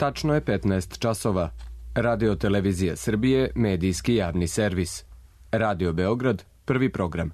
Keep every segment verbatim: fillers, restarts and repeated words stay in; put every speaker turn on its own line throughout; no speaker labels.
Tačno je petnaest časova. Radio Televizija Srbije, medijski javni servis. Radio Beograd, prvi program.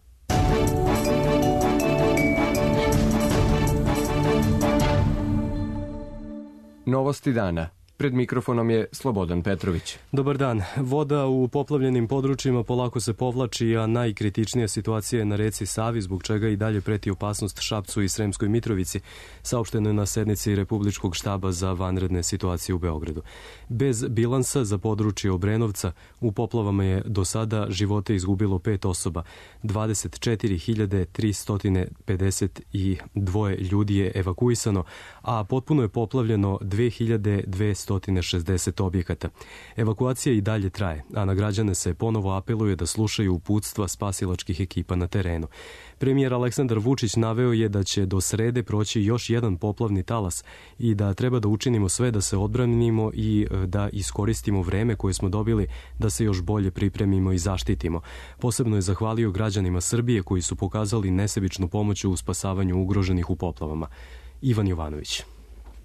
Novosti dana. Pred mikrofonom je Slobodan Petrović.
Dobar dan. Voda u poplavljenim područjima polako se povlači, a najkritičnija situacija je na reci Savi, zbog čega i dalje preti opasnost Šapcu i Sremskoj Mitrovici, saopšteno je na sednici Republičkog štaba za vanredne situacije u Beogradu. Bez bilansa za područje Obrenovca u poplavama je do sada živote izgubilo pet osoba. dvadeset četiri hiljade tristo pedeset dva ljudi je evakuisano, a potpuno je poplavljeno dve hiljade dvesta šezdeset objekata. Evakuacija i dalje traje, a na građane se ponovo apeluje da slušaju uputstva spasilačkih ekipa na terenu. Premijer Aleksandar Vučić naveo je da će do srede proći još jedan poplavni talas i da treba da učinimo sve da se odbranimo i da iskoristimo vreme koje smo dobili da se još bolje pripremimo i zaštitimo. Posebno je zahvalio građanima Srbije koji su pokazali nesebičnu pomoć u spasavanju ugroženih u poplavama. Ivan Jovanović.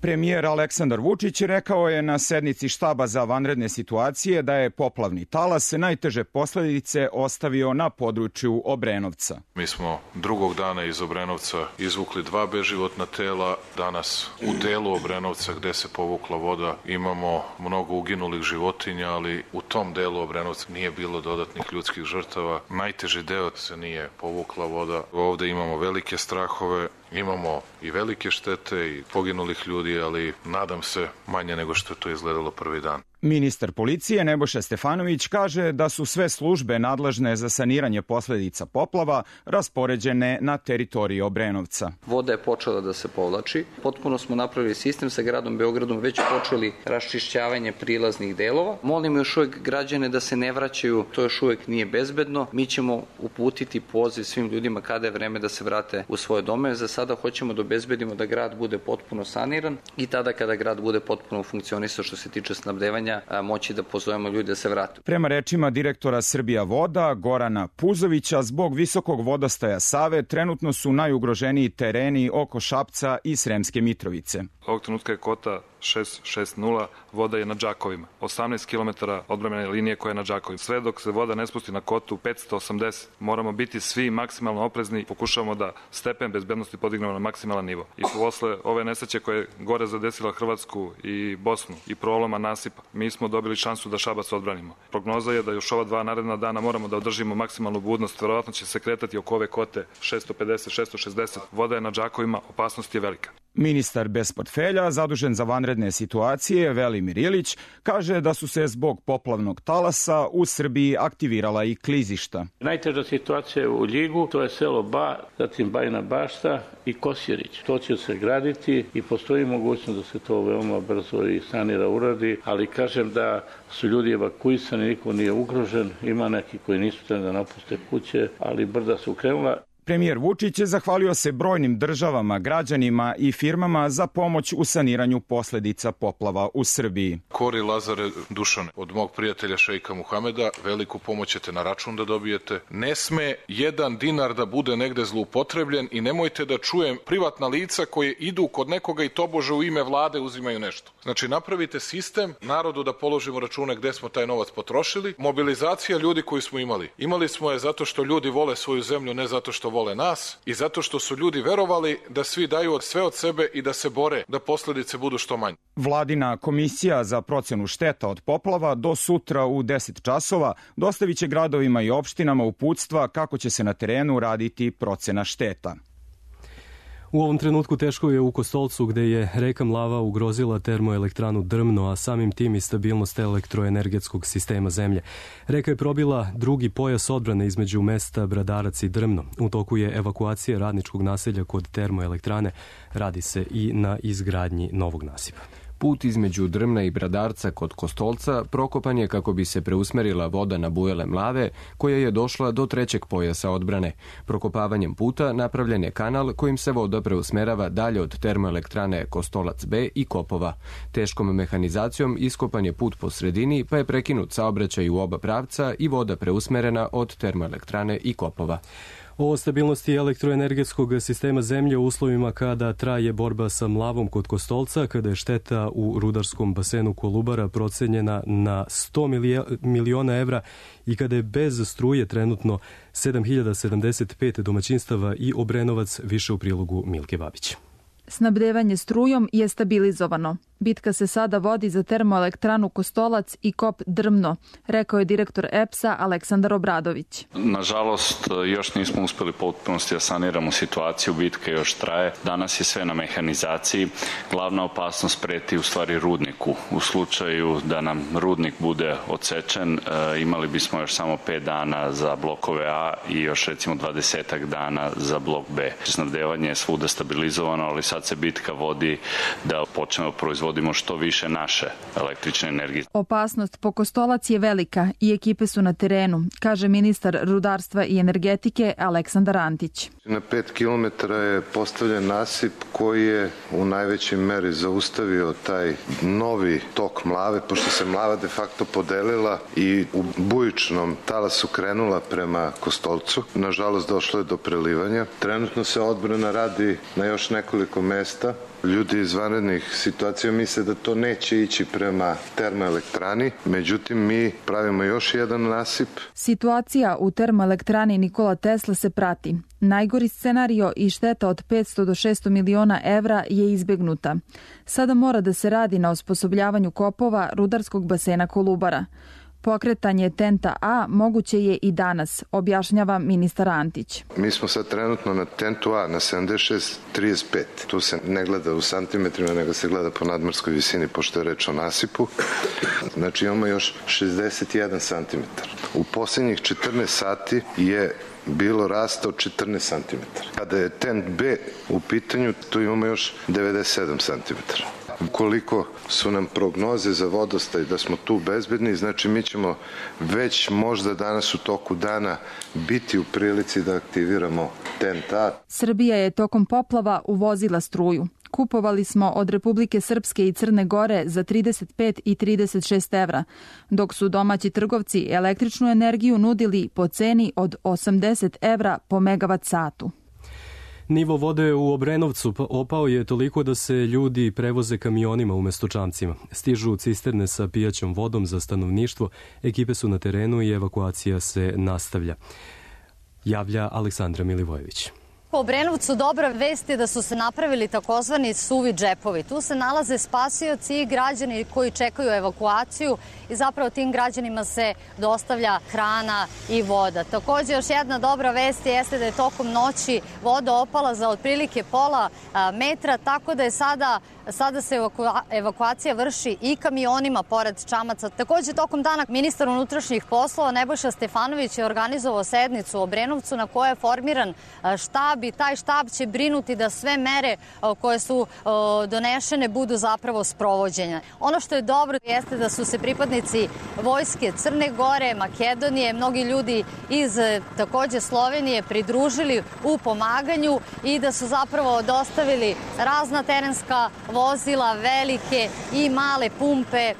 Premijer Aleksandar Vučić rekao je na sednici štaba za vanredne situacije da je poplavni talas najteže posledice ostavio na području Obrenovca.
Mi smo drugog dana iz Obrenovca izvukli dva beživotna tela. Danas u delu Obrenovca gde se povukla voda imamo mnogo uginulih životinja, ali u tom delu Obrenovca nije bilo dodatnih ljudskih žrtava. Najteži deo se nije povukla voda. Ovde imamo velike strahove. Imamo i velike štete i poginulih ljudi, ali nadam se manje nego što je to izgledalo prvi dan.
Ministar policije Nebojša Stefanović kaže da su sve službe nadležne za saniranje posledica poplava raspoređene na teritoriji Obrenovca.
Voda je počela da se povlači. Potpuno smo napravili sistem sa gradom Beogradom, već počeli raščišćavanje prilaznih delova. Molim još uvek građane da se ne vraćaju, to još uvek nije bezbedno. Mi ćemo uputiti poziv svim ljudima kada je vreme da se vrate u svoje domove. Za sada hoćemo da obezbedimo da grad bude potpuno saniran i tada kada grad bude potpuno funkcionisao što se tiče snabdevanja, moći da pozovemo ljude da se vrate.
Prema rečima direktora Srbija voda Gorana Puzovića, zbog visokog vodostaja Save trenutno su najugroženiji tereni oko Šapca i Sremske Mitrovice.
Ovog trenutka je kota šest šest nula, voda je na Đakovima. osamnaest kilometara odbrambene linije koja je na Đakovima. Sve dok se voda ne spusti na kotu petsto osamdeset, moramo biti svi maksimalno oprezni, pokušavamo da stepen bezbednosti podignemo na maksimalan nivo. I posle ove nesreće koje je gore zadesila Hrvatsku i Bosnu i proloma nasipa, mi smo dobili šansu da Šabac odbranimo. Prognoza je da još ova dva naredna dana moramo da održimo maksimalnu budnost, verovatno će se kretati oko ove kote šesto pedeset šesto šezdeset. Voda je na Đakovima, opasnost je velika.
Ministar bez portfelja, zadužen za vanredne situacije, Velimir Ilić, kaže da su se zbog poplavnog talasa u Srbiji aktivirala i klizišta.
Najteža situacija je u Ljigu, to je selo Ba, zatim Bajina Bašta i Kosjerić. To će se graditi i postoji mogućnost da se to veoma brzo i sanira, uradi, ali kažem da su ljudi evakuisani, niko nije ugrožen, ima neki koji nisu trebali da napuste kuće, ali brda su krenula.
Premijer Vučić je zahvalio se brojnim državama, građanima i firmama za pomoć u saniranju posledica poplava u Srbiji.
Kori Lazare Dušane, od mog prijatelja šejka Muhameda, veliku pomoć ćete na račun da dobijete. Ne sme jedan dinar da bude negde zloupotrebljen i nemojte da čujem privatna lica koje idu kod nekoga i tobože u ime vlade uzimaju nešto. Znači napravite sistem, narodu da položimo račune gde smo taj novac potrošili. Mobilizacija ljudi koju smo imali. Imali smo je zato što ljudi vole svoju zemlju, ne zato što vole nas i zato što su ljudi verovali da svi daju sve od sebe i da se bore da posledice budu što manje.
Vladina komisija za procenu šteta od poplava do sutra u deset časova dostavit će gradovima i opštinama uputstva kako će se na terenu raditi procena šteta.
U ovom trenutku teško je u Kostolcu gde je reka Mlava ugrozila termoelektranu Drmno, a samim tim i stabilnost elektroenergetskog sistema zemlje. Reka je probila drugi pojas odbrane između mesta Bradarac i Drmno. U toku je evakuacija radničkog naselja kod termoelektrane. Radi se i na izgradnji novog nasipa.
Put između Drmna i Bradarca kod Kostolca prokopan je kako bi se preusmerila voda na bujele Mlave, koja je došla do trećeg pojasa odbrane. Prokopavanjem puta napravljen je kanal kojim se voda preusmerava dalje od termoelektrane Kostolac B i Kopova. Teškom mehanizacijom iskopan je put po sredini, pa je prekinut saobraćaj u oba pravca i voda preusmerena od termoelektrane i Kopova.
O stabilnosti elektroenergetskog sistema zemlje u uslovima kada traje borba sa mlavom kod Kostolca, kada je šteta u rudarskom basenu Kolubara procenjena na sto miliona evra i kada je bez struje trenutno sedam hiljada sedamdeset pet domaćinstava i Obrenovac, više u prilogu Milke Babić.
Snabdevanje strujom je stabilizovano. Bitka se sada vodi za termoelektranu Kostolac i kop Drmno, rekao je direktor E P S-a Aleksandar Obradović.
Nažalost, još nismo uspeli potpunosti da saniramo situaciju, bitka još traje. Danas je sve na mehanizaciji. Glavna opasnost preti u stvari rudniku. U slučaju da nam rudnik bude odsečen, imali bismo još samo pet dana za blokove A i još recimo dvadesetak dana za blok B. Snabdevanje je svuda stabilizovano, ali sad se bitka vodi da počnemo proizvoditi što više naše električne energije.
Opasnost po Kostolac je velika i ekipe su na terenu, kaže ministar rudarstva i energetike Aleksandar Antić.
Na pet kilometara je postavljen nasip koji je u najvećoj meri zaustavio taj novi tok mlave, pošto se mlava de facto podelila i u bujičnom talasu krenula prema Kostolcu. Nažalost, došlo je do prelivanja. Trenutno se odbrana radi na još nekoliko mesta. Ljudi iz vanrednih situacija misle da to neće ići prema termoelektrani, međutim mi pravimo još jedan nasip.
Situacija u termoelektrani Nikola Tesla se prati. Najgori scenario i šteta od petsto do šesto miliona evra je izbegnuta. Sada mora da se radi na osposobljavanju kopova rudarskog basena Kolubara. Pokretanje Tenta A moguće je i danas, objašnjava ministar Antić.
Mi smo sad trenutno na Tentu A na sedamdeset šest trideset pet. Tu se ne gleda u santimetrima, nego se gleda po nadmorskoj visini, pošto je reč o nasipu. Znači imamo još šezdeset jedan santimetar. U posljednjih četrnaest sati je bilo rasta od četrnaest santimetara. Kada je Tent B u pitanju, tu imamo još devedeset sedam santimetara. Ukoliko su nam prognoze za vodostaj da smo tu bezbedni, znači mi ćemo već možda danas u toku dana biti u prilici da aktiviramo Tent A.
Srbija je tokom poplava uvozila struju. Kupovali smo od Republike Srpske i Crne Gore za trideset pet i trideset šest evra, dok su domaći trgovci električnu energiju nudili po ceni od osamdeset evra po megavat satu.
Nivo vode u Obrenovcu opao je toliko da se ljudi prevoze kamionima umesto čamcima. Stižu cisterne sa pijaćom vodom za stanovništvo, ekipe su na terenu i evakuacija se nastavlja. Javlja Aleksandra Milivojević.
Po Obrenovcu dobra vest je da su se napravili takozvani suvi džepovi. Tu se nalaze spasioci i građani koji čekaju evakuaciju i zapravo tim građanima se dostavlja hrana i voda. Također još jedna dobra vest jeste da je tokom noći voda opala za otprilike pola metra, tako da je sada Sada se evakuacija vrši i kamionima pored čamaca. Također tokom dana ministar unutrašnjih poslova Nebojša Stefanović je organizovao sednicu u Obrenovcu na kojoj je formiran štab i taj štab će brinuti da sve mere koje su donešene budu zapravo sprovođenje. Ono što je dobro jeste da su se pripadnici vojske Crne Gore, Makedonije, mnogi ljudi iz također Slovenije pridružili u pomaganju i da su zapravo dostavili razna terenska vozila, velike i male pumpe e,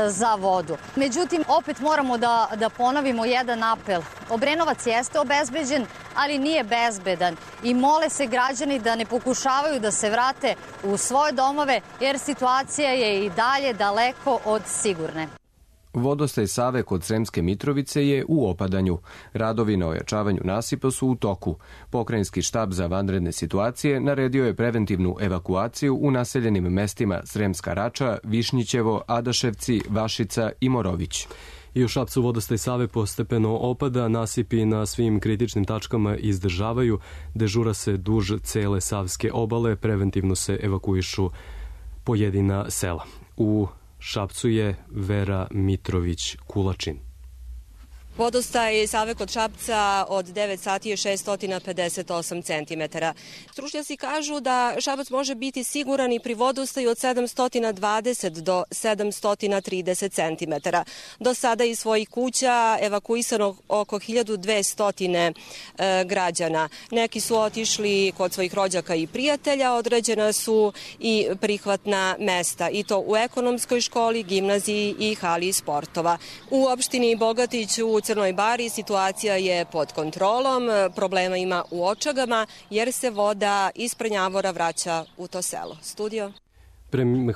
za vodu. Međutim, opet moramo da, da ponovimo jedan apel. Obrenovac jeste obezbeđen, ali nije bezbedan i mole se građani da ne pokušavaju da se vrate u svoje domove jer situacija je i dalje daleko od sigurne.
Vodostaj Save kod Sremske Mitrovice je u opadanju. Radovi na ojačavanju nasipa su u toku. Pokrajinski štab za vanredne situacije naredio je preventivnu evakuaciju u naseljenim mestima Sremska Rača, Višnjićevo, Adaševci, Vašica i Morović.
I u Šapcu vodostaj Save postepeno opada, nasipi na svim kritičnim tačkama izdržavaju, dežura se duž cele Savske obale, preventivno se evakuišu pojedina sela. U Šapcu je Vera Mitrović Kulačin.
Vodostaj Save kod Šapca od devet sati je šessto pedeset osam centimetara. Stručnjaci kažu da Šabac može biti siguran i pri vodostaju od sedamsto dvadeset do sedamsto trideset centimetara. Do sada iz svojih kuća evakuisano oko hiljadu dvesta građana. Neki su otišli kod svojih rođaka i prijatelja, određena su i prihvatna mesta, i to u ekonomskoj školi, gimnaziji i hali sportova. U opštini Bogatić u Crnoj Bari situacija je pod kontrolom, problema ima u Očagama jer se voda iz Prnjavora vraća u to selo. Studio.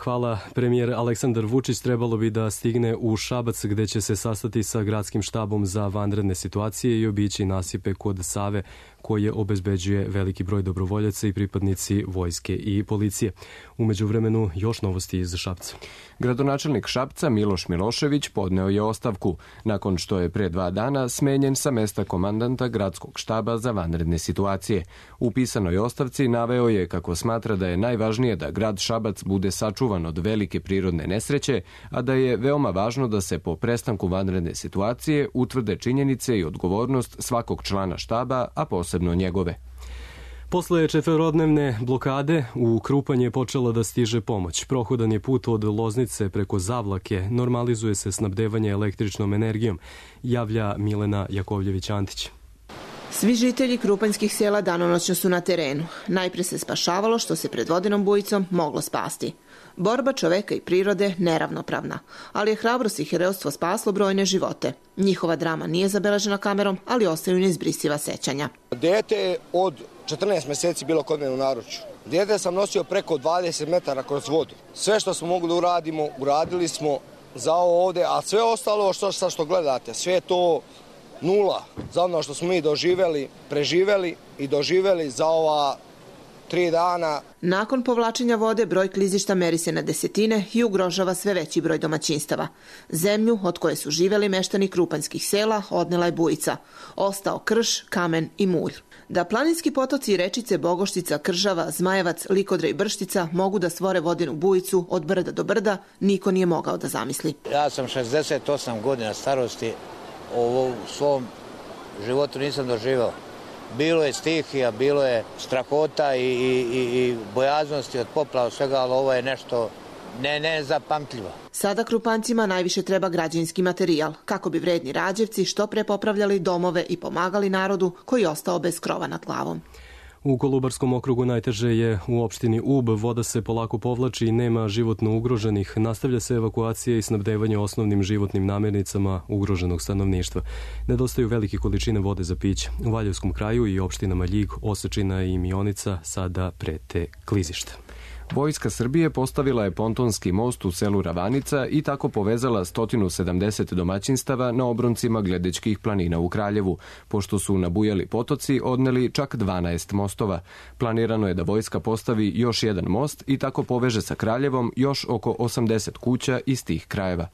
Hvala. Premijer Aleksandar Vučić trebalo bi da stigne u Šabac gde će se sastati sa gradskim štabom za vanredne situacije i obići nasipe kod Save koje obezbeđuje veliki broj dobrovoljaca i pripadnici vojske i policije. U međuvremenu još novosti iz Šapca.
Gradonačelnik Šapca Miloš Milošević podneo je ostavku nakon što je pre dva dana smenjen sa mesta komandanta gradskog štaba za vanredne situacije. U pisanoj ostavci naveo je kako smatra da je najvažnije da grad Šabac bude sačuvan od velike prirodne nesreće, a da je veoma važno da se po prestanku vanredne situacije utvrde činjenice i odgovornost svakog člana štaba, a posebno njegove.
Posle četvorodnevne blokade u Krupanj je počela da stiže pomoć. Prohodan je put od Loznice preko Zavlake, normalizuje se snabdevanje električnom energijom, javlja Milena Jakovljević-Antić.
Svi žitelji krupanjskih sela danonoćno su na terenu. Najpre se spašavalo što se pred vodenom bujicom moglo spasti. Borba čoveka i prirode neravnopravna, ali je hrabrost i herojstvo spaslo brojne živote. Njihova drama nije zabeležena kamerom, ali ostaju neizbrisiva sećanja.
Dete je od četrnaest meseci bilo kod mene u naručju. Dete sam nosio preko dvadeset metara kroz vodu. Sve što smo mogli da uradimo, uradili smo za ovo ovde, a sve ostalo što, što, što gledate, sve je to nula za ono što smo mi doživeli, preživeli i doživeli za ova tri dana.
Nakon povlačenja vode broj klizišta meri se na desetine i ugrožava sve veći broj domaćinstava. Zemlju od koje su živeli meštani krupanjskih sela odnela je bujica. Ostao krš, kamen i mulj. Da planinski potoci i rečice Bogoštica, Kržava, Zmajevac, Likodre i Brštica mogu da stvore vodenu bujicu od brda do brda, niko nije mogao da zamisli.
Ja sam šezdeset osam godina starosti, u svom životu nisam doživao. Bilo je stihija, bilo je strahota i, i, i bojaznosti od poplava svega, ali ovo je nešto ne, nezapamtljivo.
Sada Krupancima najviše treba građevinski materijal, kako bi vredni Rađevci što pre popravljali domove i pomagali narodu koji je ostao bez krova nad glavom.
U Kolubarskom okrugu najteže je u opštini Ub, voda se polako povlači i nema životno ugroženih. Nastavlja se evakuacija i snabdevanje osnovnim životnim namirnicama ugroženog stanovništva. Nedostaju velike količine vode za piće. U Valjevskom kraju i opštinama Ljig, Osečina i Mionica sada prete klizišta.
Vojska Srbije postavila je pontonski most u selu Ravanica i tako povezala sto sedamdeset domaćinstava na obroncima Gledečkih planina u Kraljevu, pošto su nabujali potoci odneli čak dvanaest mostova. Planirano je da vojska postavi još jedan most i tako poveže sa Kraljevom još oko osamdeset kuća iz tih krajeva.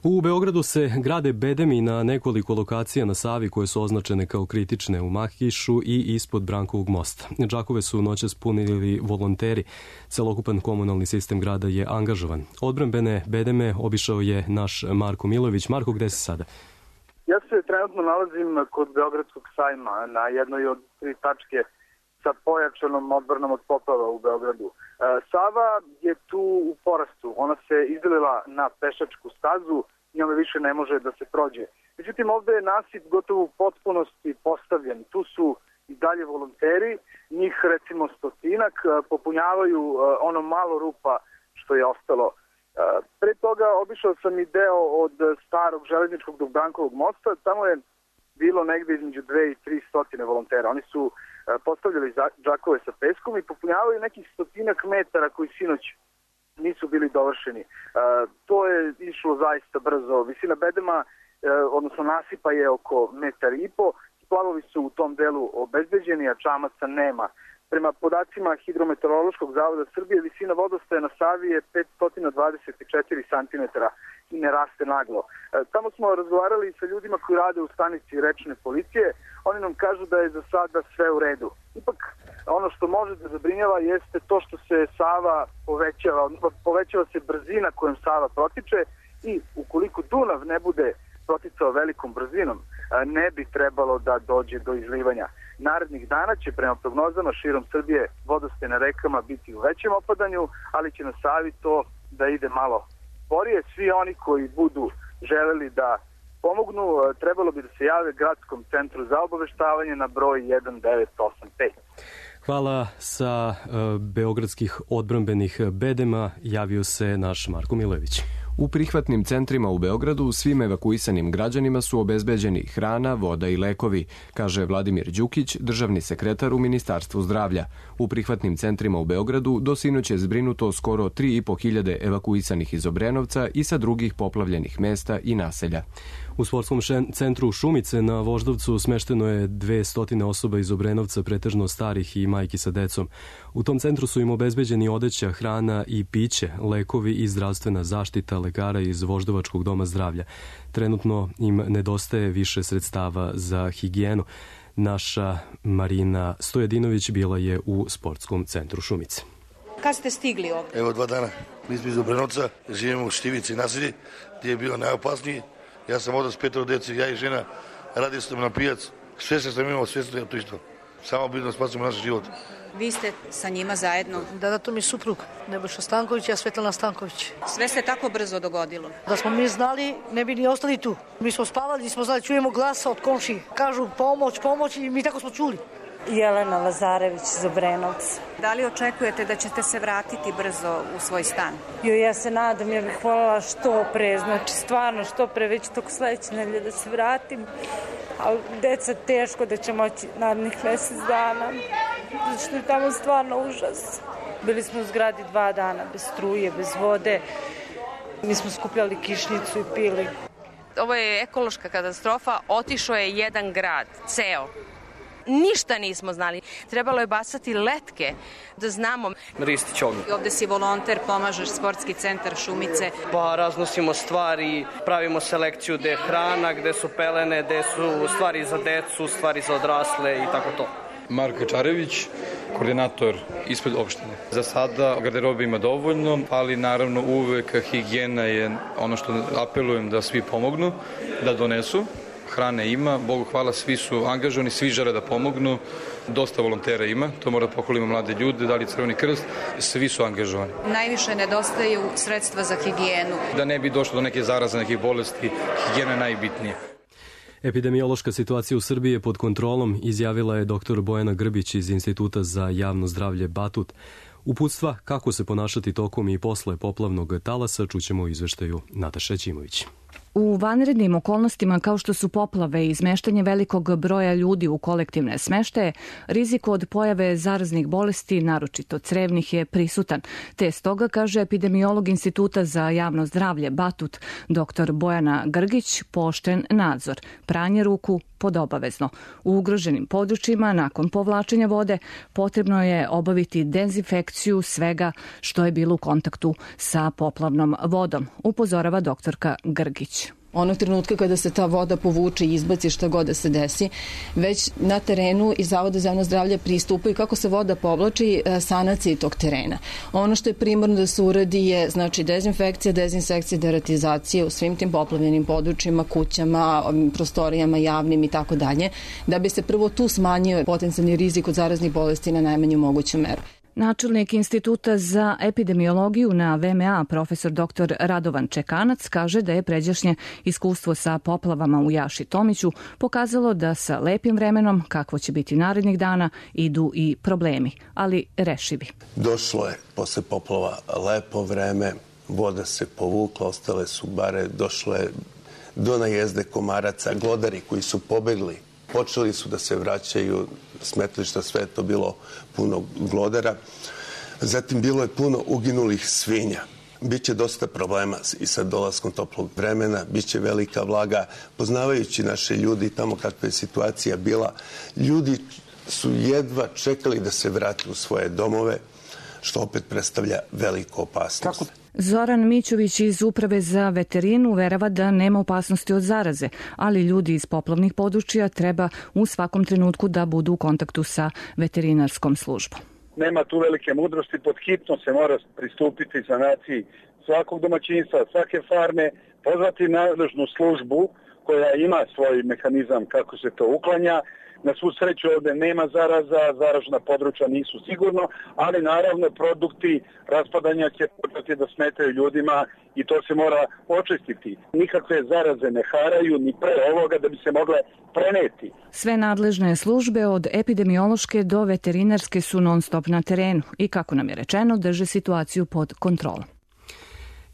U Beogradu se grade bedemi na nekoliko lokacija na Savi koje su označene kao kritične u Makišu i ispod Brankovog mosta. Džakove su noćas punili volonteri. Celokupan komunalni sistem grada je angažovan. Odbrambene bedeme obišao je naš Marko Milović. Marko, gde si sada?
Ja se trenutno nalazim kod Beogradskog sajma na jednoj od tri tačke sa pojačanom odbranom od poplava u Beogradu. Sava je tu u porastu. Ona se izlila na pešačku stazu, njome više ne može da se prođe. Međutim, ovde je nasip gotovo u potpunosti postavljen. Tu su i dalje volonteri, njih recimo stotinak, popunjavaju ono malo rupa što je ostalo. Pre toga obišao sam i deo od starog železničkog do Brankovog mosta. Tamo je bilo negde između dve i tri stotine volontera. Oni su postavljali džakove sa peskom i popunjavaju nekih stotinak metara koji sinoć nisu bili dovršeni. E, to je išlo zaista brzo. Visina bedema, e, odnosno nasipa je oko metar i po. Splavovi su u tom delu obezbeđeni, a čamaca nema. Prema podacima Hidrometeorološkog zavoda Srbije, visina vodostaja na Savi je petsto dvadeset četiri centimetara i ne raste naglo. E, tamo smo razgovarali sa ljudima koji rade u stanici rečne policije. Oni nam kažu da je za sada sve u redu. Ipak, ono što može da zabrinjava jeste to što se Sava povećava, povećava se brzina kojom Sava protiče i ukoliko Dunav ne bude proticao velikom brzinom, ne bi trebalo da dođe do izlivanja. Narednih dana će prema prognozama širom Srbije vodostaj na rekama biti u većem opadanju, ali će na Savi to da ide malo sporije. Svi oni koji budu želeli da pomognu, trebalo bi da se jave Gradskom centru za obaveštavanje na broj jedan devet osam pet.
Hvala. Sa uh, beogradskih odbrambenih bedema javio se naš Marko Milojević.
U prihvatnim centrima u Beogradu svim evakuisanim građanima su obezbeđeni hrana, voda i lekovi, kaže Vladimir Đukić, državni sekretar u Ministarstvu zdravlja. U prihvatnim centrima u Beogradu do sinoć je zbrinuto skoro tri i po hiljade evakuisanih iz Obrenovca i sa drugih poplavljenih mesta i naselja.
U sportskom centru Šumice na Voždovcu smešteno je dvesta osoba iz Obrenovca, pretežno starih i majki sa decom. U tom centru su im obezbeđeni odeća, hrana i piće, lekovi i zdravstvena zaštita lekara iz Voždovačkog doma zdravlja. Trenutno im nedostaje više sredstava za higijenu. Naša Marina Stojedinović bila je u sportskom centru Šumice.
Kad ste stigli ovdje?
Evo dva dana. Mi smo iz Obrenovca, živimo u Štivici naselji, gdje je bilo najopasniji. Ja sam otac petoro djece, ja i žena, radili smo na pijac. Sve što sam imao, sve što je to isto. Samo bitno spasimo naš život.
Vi ste sa njima zajedno?
Da, da, to mi je suprug, Nebojša Stanković, ja Svetlana Stanković.
Sve se tako brzo dogodilo?
Da smo mi znali, ne bi ni ostali tu. Mi smo spavali, nismo znali, čujemo glasa od komši. Kažu pomoć, pomoć i mi tako smo čuli.
Jelena Lazarević iz Obrenovca.
Da li očekujete da ćete se vratiti brzo u svoj stan?
Jo, ja se nadam, ja bih voljela što pre, znači stvarno što pre, već toko sledeće nedelje da se vratim. Ali deca teško da će moći narednih mesec dana, zato što je tamo stvarno užas. Bili smo u zgradi dva dana, bez struje, bez vode. Mi smo skupljali kišnicu i pili.
Ovo je ekološka katastrofa, otišao je jedan grad, ceo. Ništa nismo znali. Trebalo je bacati letke da znamo.
Ristić Ognjen.
Ovde si volonter, pomažeš sportski centar Šumice.
Pa raznosimo stvari, pravimo selekciju gde je hrana, gde su pelene, gde su stvari za decu, stvari za odrasle i tako to.
Marko Čarević, koordinator ispred opštine. Za sada garderobe ima dovoljno, ali naravno uvek higijena je ono što apelujem da svi pomognu, da donesu. Hrane ima, Bogu hvala, svi su angažovani, svi žele da pomognu, dosta volontera ima, to mora da pohvalimo mlade ljude, da li Crveni krst, svi su angažovani.
Najviše nedostaju sredstva za higijenu.
Da ne bi došlo do neke zaraze, nekih bolesti, higijena je najbitnija.
Epidemiološka situacija u Srbiji je pod kontrolom, izjavila je doktor Bojana Grbić iz Instituta za javno zdravlje Batut. Uputstva kako se ponašati tokom i posle poplavnog talasa čućemo u izveštaju Nataše Ćimović.
U vanrednim okolnostima kao što su poplave i izmeštanje velikog broja ljudi u kolektivne smeštaje, rizik od pojave zaraznih bolesti, naročito crevnih, je prisutan. Te stoga, kaže epidemiolog Instituta za javno zdravlje Batut, doktor Bojana Grgić, pooštren nadzor, pranje ruku pod obavezno. U ugroženim područjima, nakon povlačenja vode, potrebno je obaviti dezinfekciju svega što je bilo u kontaktu sa poplavnom vodom, upozorava doktorka Grgić.
Onog trenutka kada se ta voda povuče i izbaci šta god da se desi, već na terenu i Zavoda za javno zdravlje pristupaju kako se voda povlači sanaciji tog terena. Ono što je primarno da se uradi je znači dezinfekcija, dezinsekcija, deratizacija u svim tim poplavljenim područjima, kućama, prostorijama javnim i tako dalje, da bi se prvo tu smanjio potencijalni rizik od zaraznih bolesti na najmanju moguću meru.
Načelnik Instituta za epidemiologiju na V M A, profesor doktor Radovan Čekanac, kaže da je pređašnje iskustvo sa poplavama u Jaši Tomiću pokazalo da sa lepim vremenom, kakvo će biti narednih dana, idu i problemi, ali rešivi.
Došlo je posle poplava lepo vreme, voda se povukla, ostale su bare, došlo je do najezde komaraca, glodari koji su pobegli. Počeli su da se vraćaju smetlišta, sve je to bilo puno glodara. Zatim bilo je puno uginulih svinja. Biće dosta problema i sa dolaskom toplog vremena, biće velika vlaga. Poznavajući naše ljudi tamo kakva je situacija bila, ljudi su jedva čekali da se vrate u svoje domove, što opet predstavlja veliku opasnost. Kako?
Zoran Mićović iz Uprave za veterinu uverava da nema opasnosti od zaraze, ali ljudi iz poplavnih područja treba u svakom trenutku da budu u kontaktu sa veterinarskom službom.
Nema tu velike mudrosti, pod hitno se mora pristupiti sanaciji svakog domaćinstva, svake farme, pozvati nadležnu službu koja ima svoj mehanizam kako se to uklanja. Na svu sreću ovde nema zaraza, zaražna područja nisu sigurno, ali naravno produkti raspadanja će početi da smetaju ljudima i to se mora očistiti. Nikakve zaraze ne haraju ni pre ovoga da bi se mogle preneti.
Sve nadležne službe od epidemiološke do veterinarske su non stop na terenu i, kako nam je rečeno, drže situaciju pod kontrolom.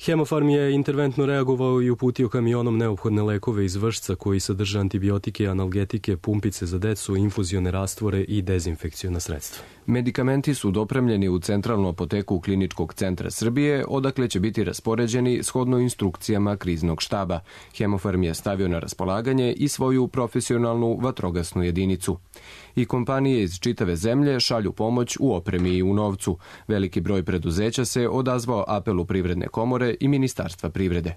Hemofarm je interventno reagovao i uputio kamionom neophodne lekove iz Vršca koji sadrže antibiotike, analgetike, pumpice za decu, infuzione rastvore i dezinfekciona sredstva.
Medikamenti su dopremljeni u centralnu apoteku Kliničkog centra Srbije, odakle će biti raspoređeni shodno instrukcijama kriznog štaba. Hemofarm je stavio na raspolaganje i svoju profesionalnu vatrogasnu jedinicu. I kompanije iz čitave zemlje šalju pomoć u opremi i u novcu. Veliki broj preduzeća se odazvao apelu Privredne komore i Ministarstva privrede.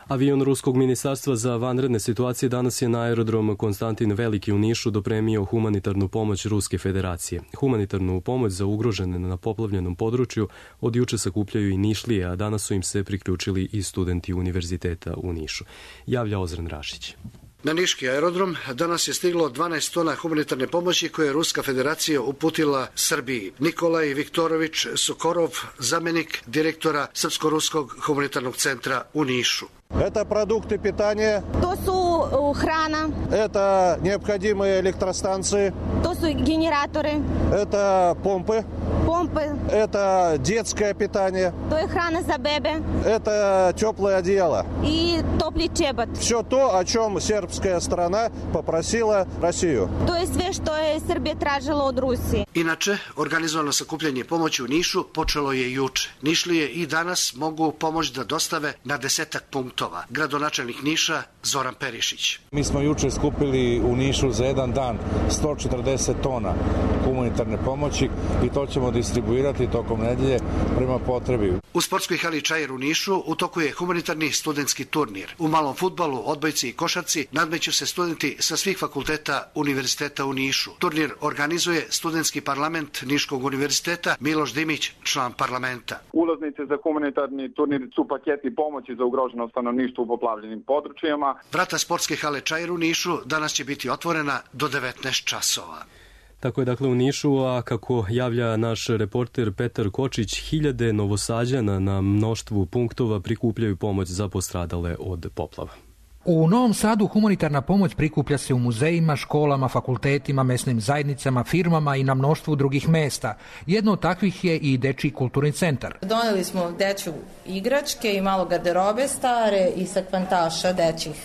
Avion Ruskog ministarstva za vanredne situacije danas je na aerodrom Konstantin Veliki u Nišu dopremio humanitarnu pomoć Ruske federacije. Humanitarnu pomoć za ugrožene na poplavljenom području od juče sakupljaju i Nišlije, a danas su im se priključili i studenti univerziteta u Nišu. Javlja Ozren Rašić.
Na niški aerodrom danas je stiglo dvanaest tona humanitarne pomoći koje je Ruska federacija uputila Srbiji. Nikolaj Viktorović Sokorov, zamenik direktora Srpsko-ruskog humanitarnog centra u Nišu.
Это продукты питания.
То su hrana.
Это необходимые электростанции.
To su генераторы.
Это помпы.
Помпы.
Это детское питание.
To je hrana za bebe.
Это теплое одеяло.
И topli čebat.
Все то, о чем сербская сторона попросила Россию.
To je sve što je Srbija tražila od Rusije.
Inače, organizovano sakupljanje pomoći u Nišu počelo je juče. Nišlije i danas mogu pomoć da dostave na desetak punktova. Gradonačelnik Niša Zoran Perišić.
Mi smo juče skupili u Nišu za jedan dan sto četrdeset tona humanitarne pomoći i to ćemo distribuirati tokom nedelje prema potrebi.
U sportskoj hali Čair u Nišu u toku je humanitarni studentski turnir. U malom fudbalu, odbojci i košarci nadmeću se studenti sa svih fakulteta univerziteta u Nišu. Turnir organizuje studentski parlament Niškog univerziteta, Miloš Dimić, član parlamenta.
Ulaznice za humanitarni turnir su paketi pomoći za ugroženo stanovništvo u poplavljenim područjima.
Vrata sportske hale Čair u Nišu danas će biti otvorena do devetnaest časova.
Tako je dakle u Nišu, a kako javlja naš reporter Petar Kočić, hiljade Novosađana na mnoštvu punktova prikupljaju pomoć za postradale od poplava.
U Novom Sadu humanitarna pomoć prikuplja se u muzejima, školama, fakultetima, mesnim zajednicama, firmama i na mnoštvu drugih mesta. Jedno od takvih je i Dečiji kulturni centar.
Doneli smo dečju igračke i malo garderobe stare i sakvantaša dečjih,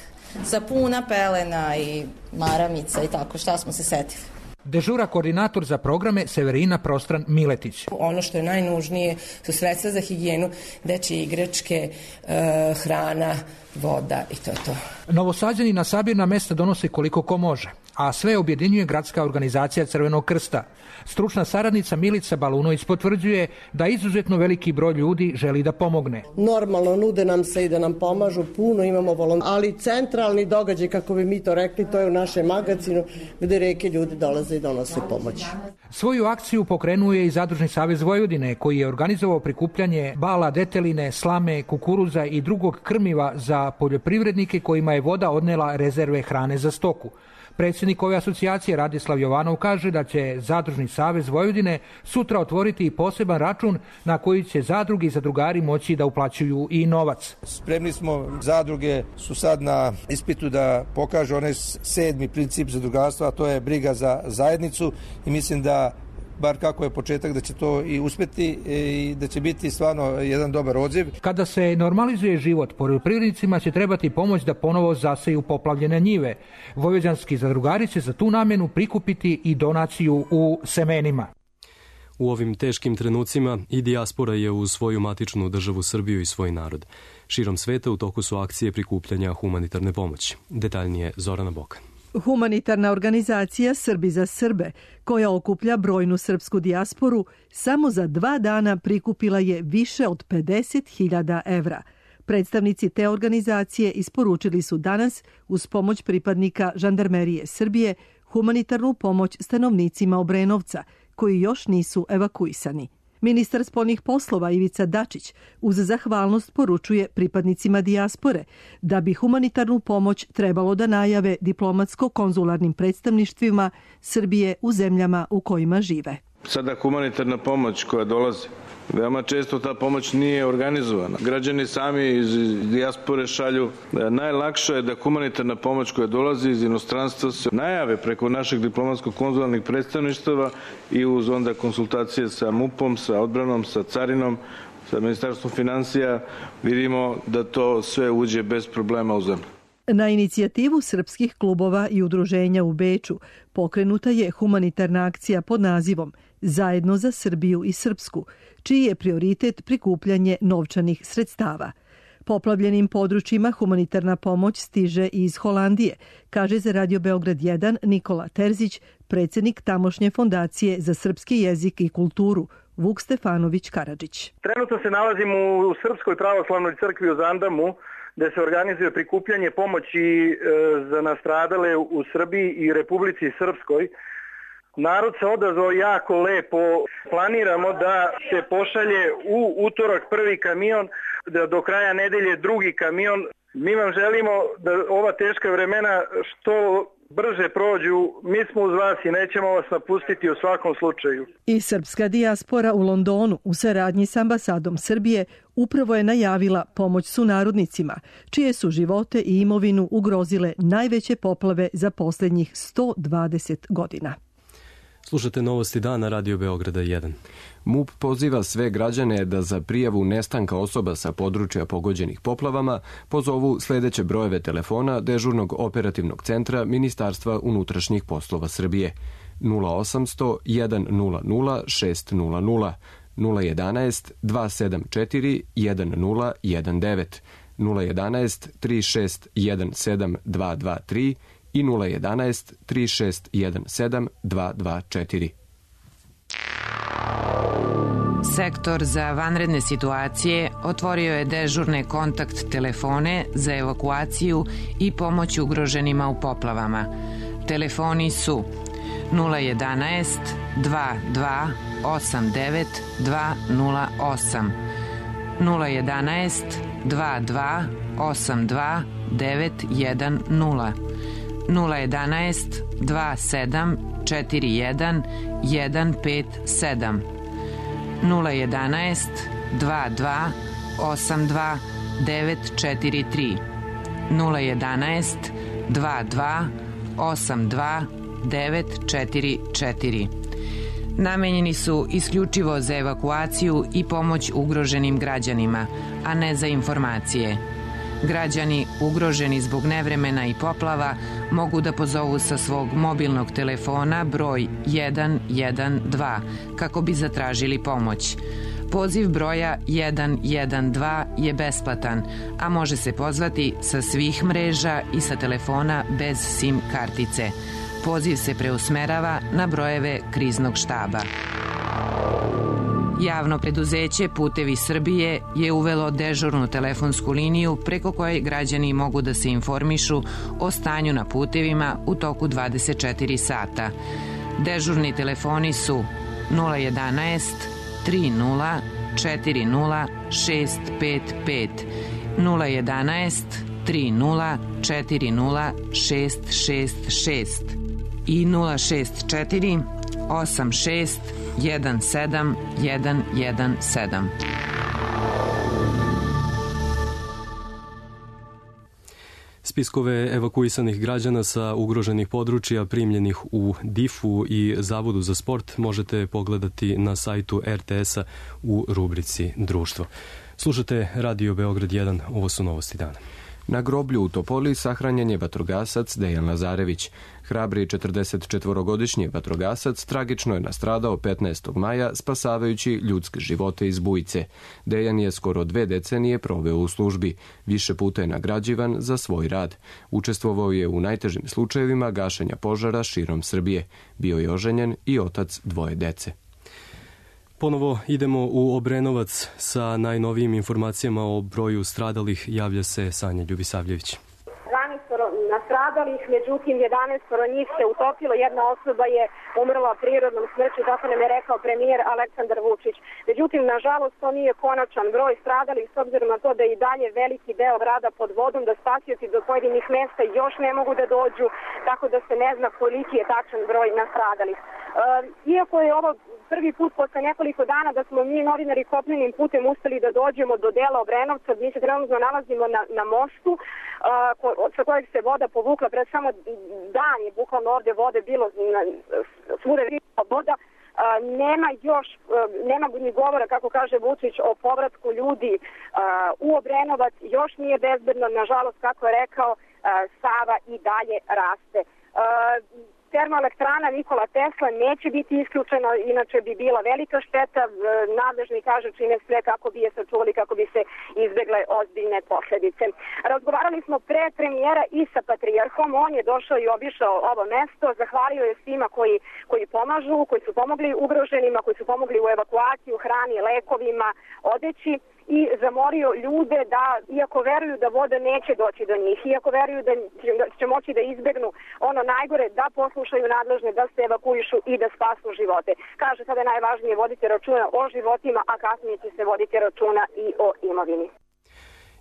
sapuna, pelena i maramica i tako, šta smo se setili.
Dežura koordinator za programe Severina Prostran Miletić.
Ono što je najnužnije su sredstva za higijenu, dečje igračke, e, hrana, voda i to je to.
Novosađani na sabirna mesta donose koliko ko može, a sve objedinjuje gradska organizacija Crvenog krsta. Stručna saradnica Milica Balunović potvrđuje da izuzetno veliki broj ljudi želi da pomogne.
Normalno nude nam se i da nam pomažu, puno imamo volontera, ali centralni događaj, kako bi mi to rekli, to je u našem magazinu gde reke ljudi dolaze i donose pomoć.
Svoju akciju pokrenuo je i Zadružni savez Vojvodine, koji je organizovao prikupljanje bala, deteline, slame, kukuruza i drugog krmiva za poljoprivrednike kojima je voda odnela rezerve hrane za stoku. Predsjednik ove asocijacije Radislav Jovanov kaže da će Zadružni savez Vojvodine sutra otvoriti poseban račun na koji će zadruge i zadrugari moći da uplaćuju i novac.
Spremni smo, zadruge su sad na ispitu da pokažu onaj sedmi princip zadrugarstva, a to je briga za zajednicu i mislim da bar kako je početak, da će to i uspjeti i da će biti stvarno jedan dobar odziv.
Kada se normalizuje život, poljoprivrednicima će trebati pomoć da ponovo zaseju poplavljene njive. Vojvođanski zadrugari će za tu namjenu prikupiti i donaciju u semenima.
U ovim teškim trenucima i dijaspora je uz svoju matičnu državu Srbiju i svoj narod. Širom sveta u toku su akcije prikupljanja humanitarne pomoći. Detaljnije Zorana Bokan.
Humanitarna organizacija Srbi za Srbe, koja okuplja brojnu srpsku dijasporu, samo za dva dana prikupila je više od pedeset hiljada evra. Predstavnici te organizacije isporučili su danas, uz pomoć pripadnika Žandarmerije Srbije, humanitarnu pomoć stanovnicima Obrenovca, koji još nisu evakuisani. Ministar spoljnih poslova Ivica Dačić uz zahvalnost poručuje pripadnicima dijaspore da bi humanitarnu pomoć trebalo da najave diplomatsko-konzularnim predstavništvima Srbije u zemljama u kojima žive.
Sada humanitarna pomoć koja dolazi, veoma često ta pomoć nije organizovana. Građani sami iz dijaspore šalju. Najlakše je da humanitarna pomoć koja dolazi iz inostranstva se najave preko naših diplomatsko-konzularnih predstavništava i uz onda konsultacije sa MUP-om, sa odbranom, sa carinom, sa Ministarstvom financija, vidimo da to sve uđe bez problema u zemlju.
Na inicijativu srpskih klubova i udruženja u Beču pokrenuta je humanitarna akcija pod nazivom Zajedno za Srbiju i Srpsku, čiji je prioritet prikupljanje novčanih sredstava. Poplavljenim područjima humanitarna pomoć stiže i iz Holandije, kaže za Radio Beograd jedan Nikola Terzić, predsjednik tamošnje fondacije za srpski jezik i kulturu, Vuk Stefanović Karadžić.
Trenutno se nalazimo u Srpskoj pravoslavnoj crkvi u Zandamu, gde se organizuje prikupljanje pomoći za nastradale u Srbiji i Republici Srpskoj. Narod se odazvao jako lepo. Planiramo da se pošalje u utorak prvi kamion, da do kraja nedelje drugi kamion. Mi vam želimo da ova teška vremena što brže prođu. Mi smo uz vas i nećemo vas napustiti u svakom slučaju.
I srpska dijaspora u Londonu u saradnji s ambasadom Srbije upravo je najavila pomoć sunarodnicima, čije su živote i imovinu ugrozile najveće poplave za posljednjih sto dvadeset godina.
Slušate novosti dana Radio Beograda jedan.
MUP poziva sve građane da za prijavu nestanka osoba sa područja pogođenih poplavama pozovu sljedeće brojeve telefona dežurnog operativnog centra Ministarstva unutrašnjih poslova Srbije: nula osamsto jedan nula nula šest nula nula, nula jedanaest dva sedam četiri jedan nula jedan devet, nula jedanaest tri šest jedan sedam dva dva tri i nula jedanaest tri šest jedan sedam dva dva četiri.
Sektor za vanredne situacije otvorio je dežurne kontakt telefone za evakuaciju i pomoć ugroženima u poplavama. Telefoni su nula jedanaest dva dva osam devet dva nula osam, nula jedanaest dva dva osam dva devet jedan nula, nula jedanaest dva sedam četiri jedan jedan pet sedam, nula jedanaest dva dva osam dva devet četiri tri, nula jedanaest dva dva osam dva devet četiri četiri. Namenjeni su isključivo za evakuaciju i pomoć ugroženim građanima, a ne za informacije. Građani ugroženi zbog nevremena i poplava mogu da pozovu sa svog mobilnog telefona broj jedan jedan dva kako bi zatražili pomoć. Poziv broja jedan jedan dva je besplatan, a može se pozvati sa svih mreža i sa telefona bez SIM kartice. Poziv se preusmerava na brojeve kriznog štaba. Javno preduzeće Putevi Srbije je uvelo dežurnu telefonsku liniju preko koje građani mogu da se informišu o stanju na putevima u toku dvadeset četiri sata. Dežurni telefoni su nula jedanaest tri nula četiri nula šest pet pet, nula jedanaest tri nula četiri nula šest šest šest i nula šest četiri osam šest jedan sedam jedan jedan sedam.
Spiskove evakuisanih građana sa ugroženih područja primljenih u difu i Zavodu za sport možete pogledati na sajtu er te esa u rubrici Društvo. Slušate Radio Beograd jedan, ovo su novosti dana.
Na groblju u Topoli sahranjen je vatrogasac Dejan Lazarević. Hrabri četrdesetčetvorogodišnji vatrogasac tragično je nastradao petnaestog maja spasavajući ljudske živote iz bujice. Dejan je skoro dve decenije proveo u službi. Više puta je nagrađivan za svoj rad. Učestvovao je u najtežim slučajevima gašenja požara širom Srbije. Bio je oženjen i otac dvoje dece.
Ponovo idemo u Obrenovac sa najnovijim informacijama o broju stradalih. Javlja se Sanja Ljubisavljević.
Nastradalih, međutim jedanaest njih se utopilo, jedna osoba je umrla prirodnom smrću, tako nam je rekao premijer Aleksandar Vučić. Međutim, nažalost, to nije konačan broj stradalih, s obzirom na to da je i dalje veliki deo grada pod vodom, da spasioci do pojedinih mesta još ne mogu da dođu, tako da se ne zna koliki je tačan broj nastradalih. Iako je ovo prvi put posle nekoliko dana da smo mi novinari kopnenim putem uspeli da dođemo do dela Obrenovca, mi se trenutno nalazimo na, na mostu uh, sa kojeg se voda povukla, pred samo dan je bukvalno ovde vode bilo, svuda je voda, nema još, nema ni govora, kako kaže Vučić, o povratku ljudi u Obrenovac, još nije bezbedno, nažalost, kako je rekao, Sava i dalje raste. Termoelektrana Nikola Tesla neće biti isključeno, inače bi bila velika šteta. Nadležni kažu čine sve kako bi je sačuvali, kako bi se izbegle ozbiljne posledice. Razgovarali smo pre premijera i sa Patrijarhom, on je došao i obišao ovo mesto, zahvalio je svima koji, koji pomažu, koji su pomogli ugroženima, koji su pomogli u evakuaciju, hrani, lekovima, odeći, i zamorio ljude da, iako veruju da voda neće doći do njih, iako veruju da će moći da izbegnu ono najgore, da poslušaju nadležne, da se evakuišu i da spasu živote. Kaže, sada je najvažnije voditi računa o životima, a kasnije će se voditi računa i o imovini.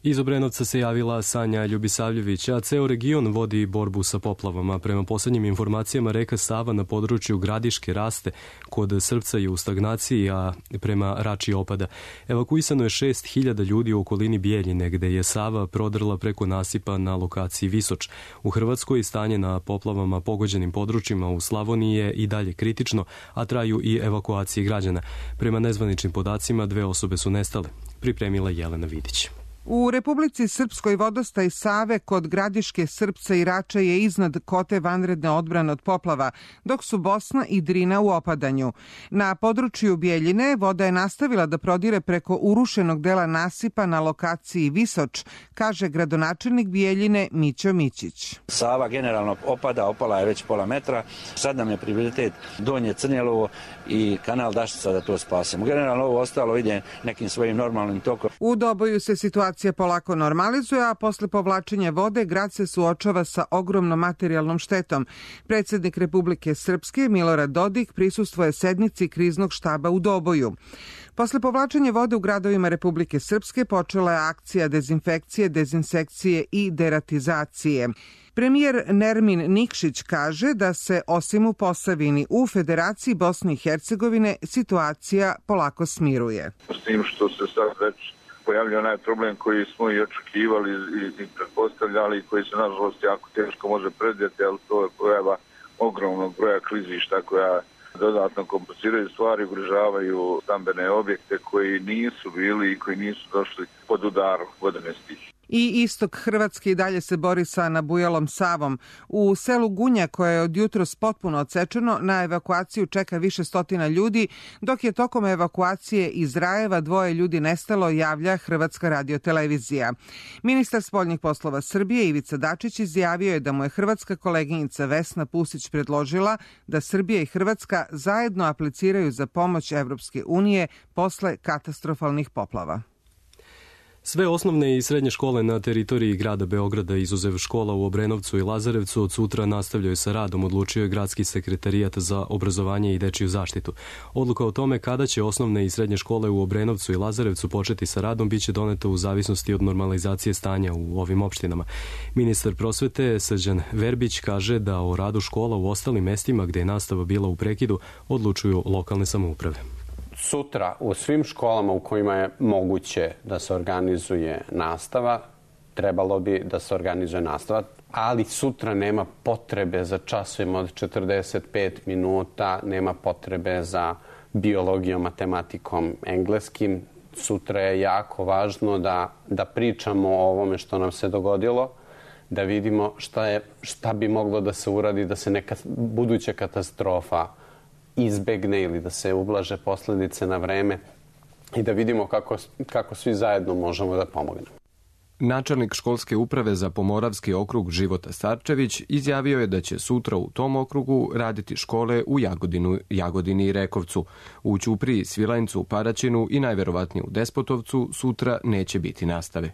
Iz Obrenovca se javila Sanja Ljubisavljević, a ceo region vodi borbu sa poplavama. Prema poslednjim informacijama, reka Sava na području Gradiške raste, kod Srpca je u stagnaciji, a prema Rači opada. Evakuisano je šest hiljada ljudi u okolini Bijeljine, gde je Sava prodrla preko nasipa na lokaciji Visoč. U Hrvatskoj stanje na poplavama pogođenim područjima u Slavoniji je i dalje kritično, a traju i evakuacije građana. Prema nezvaničnim podacima, dve osobe su nestale. Pripremila Jelena Vidić.
U Republici Srpskoj vodostaj Save kod Gradiške, Srpca i Rača je iznad kote vanredne odbrane od poplava, dok su Bosna i Drina u opadanju. Na području Bijeljine voda je nastavila da prodire preko urušenog dela nasipa na lokaciji Visoč, kaže gradonačelnik Bijeljine Mićo Mićić.
Sava generalno opada, opala je već pola metra. Sad nam je prioritet Donje Crnjelovo i kanal Daštica da to spasemo. Generalno ovo ostalo ide nekim svojim normalnim tokom.
U Doboju se situacija polako normalizuje, a posle povlačenja vode grad se suočava sa ogromnom materijalnom štetom. Predsednik Republike Srpske Milorad Dodik prisustvuje sednici kriznog štaba u Doboju. Posle povlačenja vode u gradovima Republike Srpske počela je akcija dezinfekcije, dezinsekcije i deratizacije. Premijer Nermin Nikšić kaže da se osim u Posavini u Federaciji Bosne i Hercegovine situacija polako smiruje.
S tim što se sad već pojavlja onaj problem koji smo i očekivali i, i pretpostavljali, koji se nažalost jako teško može predvidjeti, ali to je pojava ogromnog broja klizišta koja dodatno kompliciraju stvari, ugrožavaju stambene objekte koji nisu bili i koji nisu došli pod udar vodene stihije.
I istok Hrvatske i dalje se bori sa nabujalom Savom. U selu Gunja, koje je od jutros potpuno odsečeno, na evakuaciju čeka više stotina ljudi, dok je tokom evakuacije iz Rajeva dvoje ljudi nestalo, javlja Hrvatska radiotelevizija. Ministar spoljnih poslova Srbije Ivica Dačić izjavio je da mu je hrvatska koleginica Vesna Pusić predložila da Srbija i Hrvatska zajedno apliciraju za pomoć Evropske unije posle katastrofalnih poplava.
Sve osnovne i srednje škole na teritoriji grada Beograda, izuzev škola u Obrenovcu i Lazarevcu, od sutra nastavljaju sa radom, odlučio je Gradski sekretarijat za obrazovanje i dečiju zaštitu. Odluka o tome kada će osnovne i srednje škole u Obrenovcu i Lazarevcu početi sa radom biće doneta u zavisnosti od normalizacije stanja u ovim opštinama. Ministar prosvete Srđan Verbić kaže da o radu škola u ostalim mestima gde je nastava bila u prekidu odlučuju lokalne samouprave.
Sutra u svim školama u kojima je moguće da se organizuje nastava, trebalo bi da se organizuje nastava, ali sutra nema potrebe za časovima od četrdeset pet minuta, nema potrebe za biologijom, matematikom, engleskim. Sutra je jako važno da, da pričamo o ovome što nam se dogodilo, da vidimo šta, je, šta bi moglo da se uradi, da se neka buduća katastrofa izbegne ili da se ublaže posledice na vreme i da vidimo kako, kako svi zajedno možemo da pomognemo.
Načelnik školske uprave za Pomoravski okrug Života Starčević izjavio je da će sutra u tom okrugu raditi škole u Jagodinu, Jagodini i Rekovcu. U Ćupriji, Svilajncu, Paraćinu i najverovatnije u Despotovcu sutra neće biti nastave.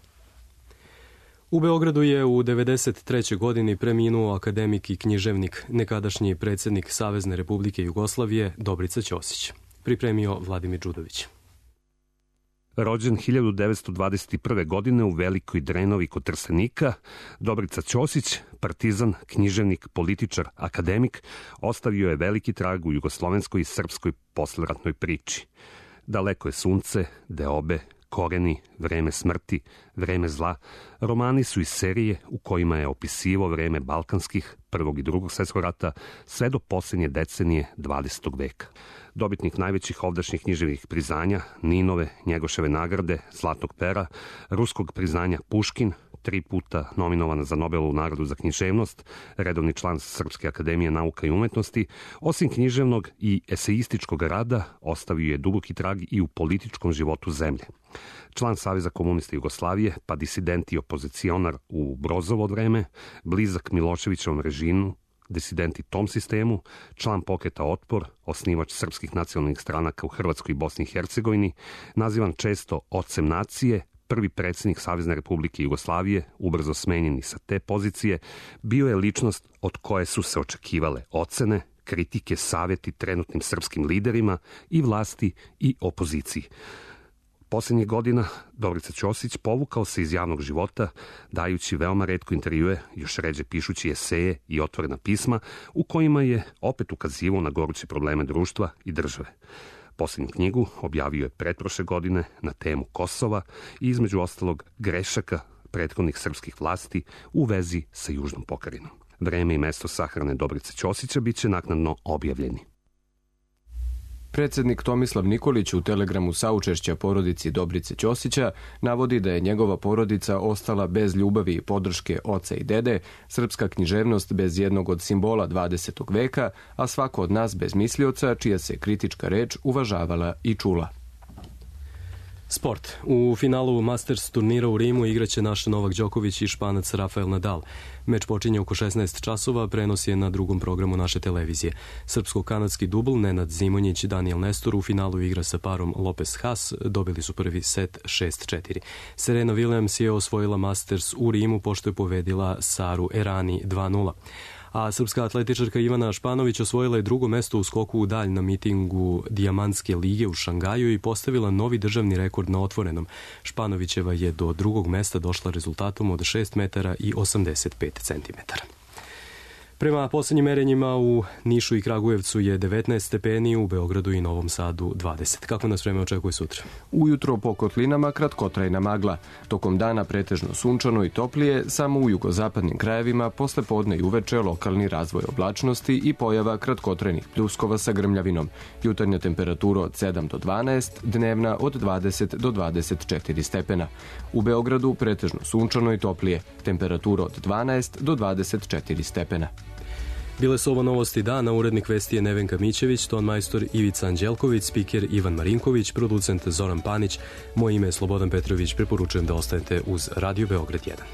U Beogradu je u devedeset trećoj godini preminuo akademik i književnik, nekadašnji predsjednik Savezne Republike Jugoslavije Dobrica Ćosić. Pripremio Vladimir Đudović.
Rođen hiljadu devetsto dvadeset prve. godine u Velikoj Drenovi kod Trstenika, Dobrica Ćosić, partizan, književnik, političar, akademik, ostavio je veliki trag u jugoslovenskoj i srpskoj posleratnoj priči. Daleko je sunce, deobe, Koreni, Vreme smrti, Vreme zla, romani su iz serije u kojima je opisivao vreme balkanskih, Prvog i Drugog svjetskog rata sve do posljednje decenije dvadesetog veka. Dobitnik najvećih ovdašnjih književnih priznanja, Ninove, Njegoševe nagrade, Zlatnog pera, ruskog priznanja Puškin, tri puta nominovana za Nobelovu nagradu za književnost, redovni član Srpske akademije nauka i umetnosti, osim književnog i eseističkog rada, ostavio je duboki trag i u političkom životu zemlje. Član Saveza komunista Jugoslavije, pa disident i opozicionar u Brozovo vreme, blizak Miloševićevom režimu, disidenti tom sistemu, član pokreta Otpor, osnivač srpskih nacionalnih stranaka u Hrvatskoj i Bosni i Hercegovini, nazivan često ocem nacije, prvi predsjednik Savezne Republike Jugoslavije, ubrzo smenjeni sa te pozicije, bio je ličnost od koje su se očekivale ocene, kritike, savjeti trenutnim srpskim liderima i vlasti i opoziciji. Posljednjih godina Dobrica Ćosić povukao se iz javnog života, dajući veoma retko intervjue, još ređe pišući eseje i otvorena pisma, u kojima je opet ukazivao na goruće probleme društva i države. Posljednju knjigu objavio je pretprošle godine na temu Kosova i između ostalog grešaka prethodnih srpskih vlasti u vezi sa Južnom pokrajinom. Vreme i mesto sahrane Dobrice Ćosića bit će naknadno objavljeni.
Predsjednik Tomislav Nikolić u telegramu saučešća porodici Dobrice Ćosića navodi da je njegova porodica ostala bez ljubavi i podrške oca i dede, srpska književnost bez jednog od simbola dvadesetog veka, a svako od nas bez mislioca, čija se kritička reč uvažavala i čula.
Sport. U finalu Masters turnira u Rimu igraće naš Novak Đoković i Španac Rafael Nadal. Meč počinje oko šesnaest časova, prenos je na drugom programu naše televizije. Srpsko-kanadski dubl Nenad Zimonjić, Daniel Nestor u finalu igra sa parom Lopez Haas, dobili su prvi set šest četiri. Serena Williams je osvojila Masters u Rimu pošto je povedila Saru Errani dva nula. A srpska atletičarka Ivana Španović osvojila je drugo mesto u skoku u dalj na mitingu Dijamantske lige u Šangaju i postavila novi državni rekord na otvorenom. Španovićeva je do drugog mesta došla rezultatom od šest metara i osamdeset pet centimetara. Prema posljednjim merenjima u Nišu i Kragujevcu je devetnaest stepeni, u Beogradu i Novom Sadu dvadeset. Kako nas vreme očekuje sutra?
Ujutro po kotlinama kratkotrajna magla. Tokom dana pretežno sunčano i toplije, samo u jugozapadnim krajevima posle podne i uveče lokalni razvoj oblačnosti i pojava kratkotrajnih pljuskova sa grmljavinom. Jutarnja temperatura od sedam do dvanaest, dnevna od dvadeset do dvadeset četiri stepena. U Beogradu pretežno sunčano i toplije, temperatura od dvanaest do dvadeset četiri stepena.
Bile su ovo novosti dana, urednik vesti je Nevenka Mićević, tonmajstor Ivica Anđelković, spiker Ivan Marinković, producent Zoran Panić. Moje ime je Slobodan Petrović, preporučujem da ostanete uz Radio Beograd jedan.